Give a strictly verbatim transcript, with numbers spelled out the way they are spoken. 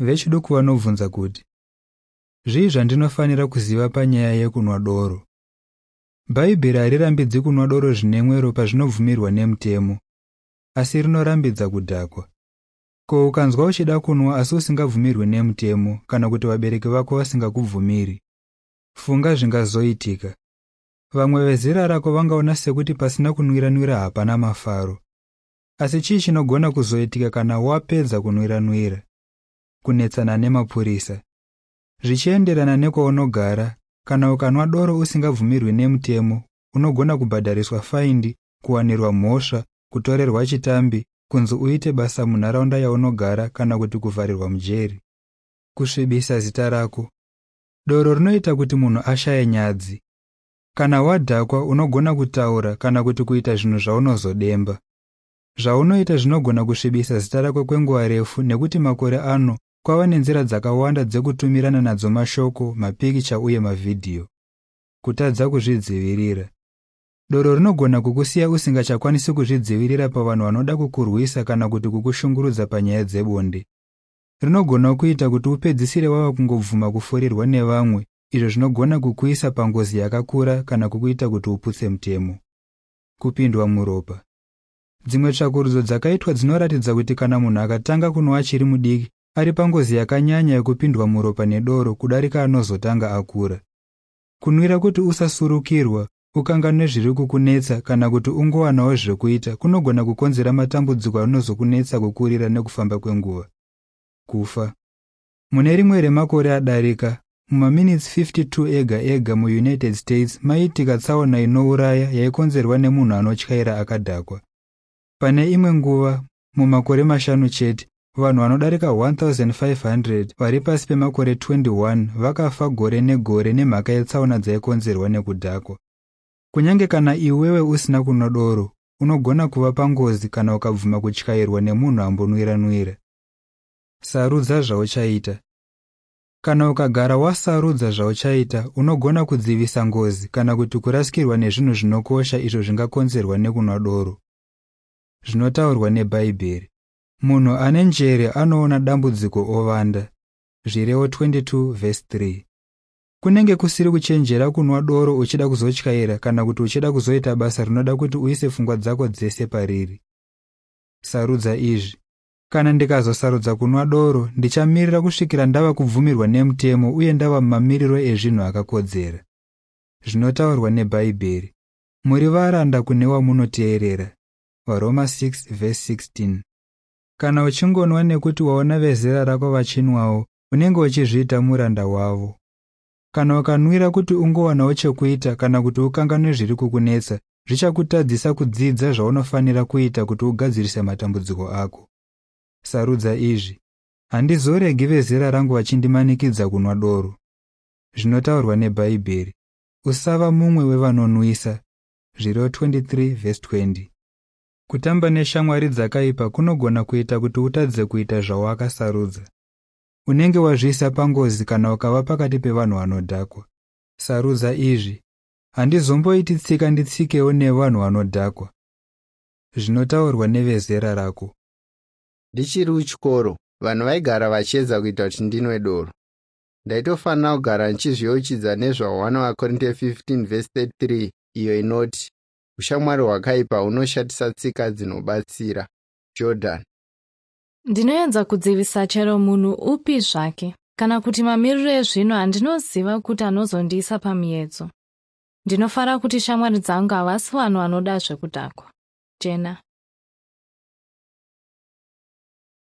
Vechiduku vanobvunza kuti, zvii zvandinofanira kuziva panyaya yekunwa doro? Bhaibheri harirambidzi kunwa doro zvine mwero pazvinobvumirwa nemutemo, asi rinorambidza kudhakwa. Ko ukanzwa uchida kunwa asi usingabvumirwi nemutemo kana kuti vabereki vako vasingakubvumiri? Funga zvingazoitika. Vamwe vezera rako vangaona sekuti pasina kunwira-nwira hapana mafaro. Asi chii chinogona kuzoitika kana wapedza kunwira-nwira? Kunetsana nemapurisa. Zvichienderana nekwaunogara, kana ukanwa doro usingabvumirwi nemutemo, unogona kubhadhariswa faindi, kuwanirwa mhosva, kutorerwa chitambi, kunzi uite basa munharaunda yaunogara kana kuti kuvharirwa mujeri. Kusvibisa zita rako. Doro rinoita kuti munhu ashaye nyadzi. Kana wadhakwa unogona kutaura kana kuti kuita zvinhu zvaunozodemba. Zvaunoita zvinogona kusvibisa zita rako kwenguva refu nekuti makore ano kwava nenzira dzakawanda dzekutumirana nadzo mashoko, mapikicha uye mavhidhiyo. Kutadza kuzvidzivirira. Doro rinogona kukusiya usingachakwanisi kuzvidzivirira pavanhu vanoda kukurwisa kana kuti kukushungurudza panyaya dzebonde. Rinogona kuita kuti upedzisire wava kungobvuma kufurirwa nevamwe, izvo zvinogona kukuisa pangozi yakakura kana kukuita kuti uputse mutemo. Kupindwa muropa. Dzimwe tsvakurudzo dzakaitwa dzinoratidza kuti kana munhu akatanga kunwa achiri mudiki, ari pangozi yakanyanya yekupindwa muropa nedoro kudarika anozotanga akura. Kunwira kuti usasurukirwa, ukanganwe zviri kukunetsa kana kuti ungowanawo zvekuita kunogona kukonzera matambudziko anozokunetsa kukurira nekufamba kwenguva. Kufa. Mune rimwe remakore adarika, mumaminitsi fifty two ega ega muUnited States maiitika tsaona inouraya yaikonzerwa nemunhu anotyaira akadhakwa. Pane imwe nguva, mumakore mashanu chete, vanhu vanodarika one thousand five hundred vari pasi pemakore twenty one vakafa gore negore nemhaka yetsaona dzaikonzerwa nekudhakwa. Kunyange kana iwewe usina kunwa doro, unogona kuva pangozi kana ukabvuma kutyairwa nemunhu ambonwira-nwira. Sarudza zvauchaita. Kana ukagara wasarudza zvauchaita, unogona kudzivisa ngozi kana kuti kurasikirwa nezvinhu zvinokosha izvo zvingakonzerwa nekunwa doro. Zvinotaurwa neBhaibheri. Munhu ane njere anoona dambudziko ovanda. Zvirevo twenty two verse three. Kunenge kusiri kuchenjera kunwa doro uchida kuzotyaira kana kuti uchida kuzoita basa rinoda kuti uise pfungwa dzako dzese pariri. Sarudza izvi. Kana ndikazosarudza kunwa doro, ndichamirira kusvikira ndava kubvumirwa nemutemo uye ndava mumamiriro ezvinhu akakodzera. Zvinotaurwa neBhaibheri. Muri varanda kune wamunoteerera. VaRoma six verse sixteen. Kana uchingonwa nekuti waona vezera rako vachinwawo, unenge uchizviita muranda wavo. Kana ukanwira kuti ungowanawo chekuita kana kuti ukanganwe zviri kukunetsa, zvichakutadzisa kudzidza zvaunofanira kuita kuti ugadzirise matambudziko ako. Sarudza izvi. Handizoregi vezera rangu vachindimanikidza kunwa doro. Zvinotaurwa neBhaibheri. Usava mumwe wevanonwisa. Zvirevo twenty three verse twenty. Kutamba neshamwari dzakaipa kunogona kuita kuti utadze kuita zvawakasarudza. Unenge wazviisa pangozi kana ukava pakati pevanhu vanodhakwa. Sarudza izvi. Handizomboiti tsika nditsikewo nevanhu vanodhakwa. Zvinotaurwa nevezera rako. Ndichiri kuchikoro, vanhu vaigara vachiedza kuita kuti ndinwe doro. Ndaitofanira kugara ndichizviyeuchidza nezva one vaKorinte fifteen verse thirty three iyo inoti ushamwari hwakaipa hunoshatisa tsika dzinobatsira. Jordan. Ndinoedza kudzivisa chero munhu upi zvake kana kuti mamiriro ezvinhu andinoziva kuti anozondiisa pamiedzo. Ndinofara kuti shamwari dzangu havasi vanhu vanoda zvekudhakwa. Jena.